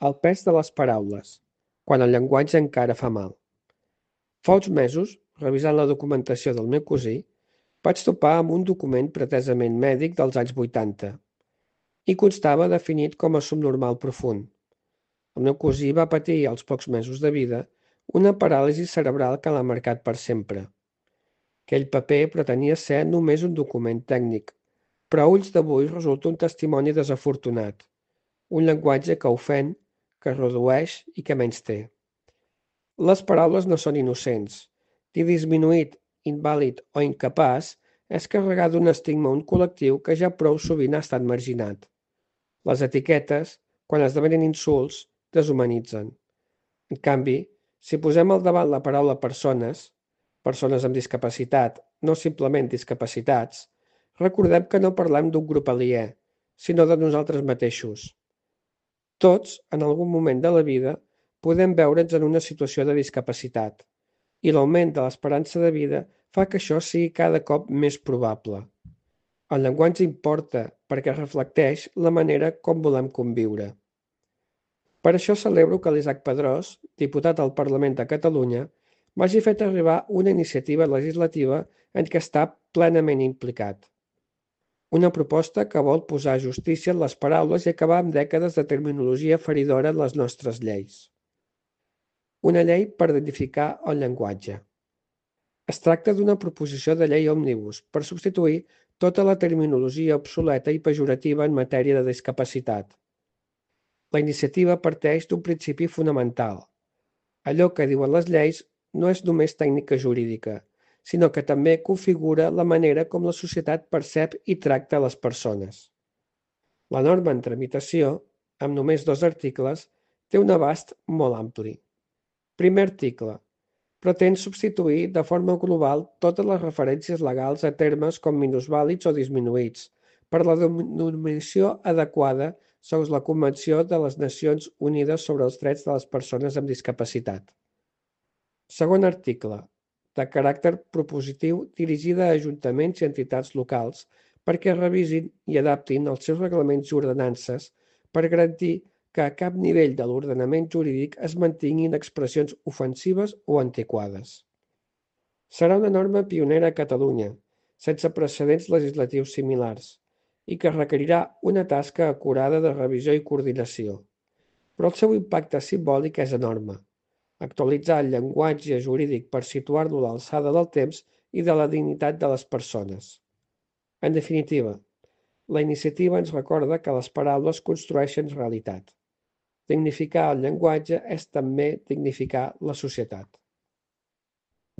El pes de les paraules, quan el llenguatge encara fa mal. Fa uns mesos, revisant la documentació del meu cosí, vaig topar amb un document pretesament mèdic dels anys 80 i constava definit com a subnormal profund. El meu cosí va patir als pocs mesos de vida una paràlisi cerebral que l'ha marcat per sempre. Aquell paper pretenia ser només un document tècnic, però a ulls d'avui resulta un testimoni desafortunat, un llenguatge que ofèn, que redueix i que menysté. Les paraules no són innocents. Dir disminuït, invàlid o incapaç és carregar d'un estigma un col·lectiu que ja prou sovint ha estat marginat. Les etiquetes, quan esdevenen insults, deshumanitzen. En canvi, si posem al davant la paraula persones, persones amb discapacitat, no simplement discapacitats, recordem que no parlem d'un grup aliè, sinó de nosaltres mateixos. Tots, en algun moment de la vida, podem veure'ns en una situació de discapacitat, i l'augment de l'esperança de vida fa que això sigui cada cop més probable. El llenguatge importa perquè reflecteix la manera com volem conviure. Per això celebro que l'Isaac Pedrós, diputat al Parlament de Catalunya, m'hagi fet arribar una iniciativa legislativa en què està plenament implicat. Una proposta que vol posar justícia en les paraules i acabar amb dècades de terminologia feridora en les nostres lleis. Una llei per dignificar el llenguatge. Es tracta d'una proposició de llei òmnibus per substituir tota la terminologia obsoleta i pejorativa en matèria de discapacitat. La iniciativa parteix d'un principi fonamental. Allò que diuen les lleis no és només tècnica jurídica, sinó que també configura la manera com la societat percep i tracta les persones. La norma en tramitació, amb només 2 articles, té un abast molt ampli. Primer article. Pretén substituir de forma global totes les referències legals a termes com minusvàlids o disminuïts, per la denominació adequada segons la Convenció de les Nacions Unides sobre els Drets de les Persones amb Discapacitat. Segon article, de caràcter propositiu dirigida a ajuntaments i entitats locals perquè revisin i adaptin els seus reglaments i ordenances per garantir que a cap nivell de l'ordenament jurídic es mantinguin expressions ofensives o antiquades. Serà una norma pionera a Catalunya, sense precedents legislatius similars, i que requerirà una tasca acurada de revisió i coordinació. Però el seu impacte simbòlic és enorme. Actualitzar el llenguatge jurídic per situar-lo a l'alçada del temps i de la dignitat de les persones. En definitiva, la iniciativa ens recorda que les paraules construeixen realitat. Dignificar el llenguatge és també dignificar la societat.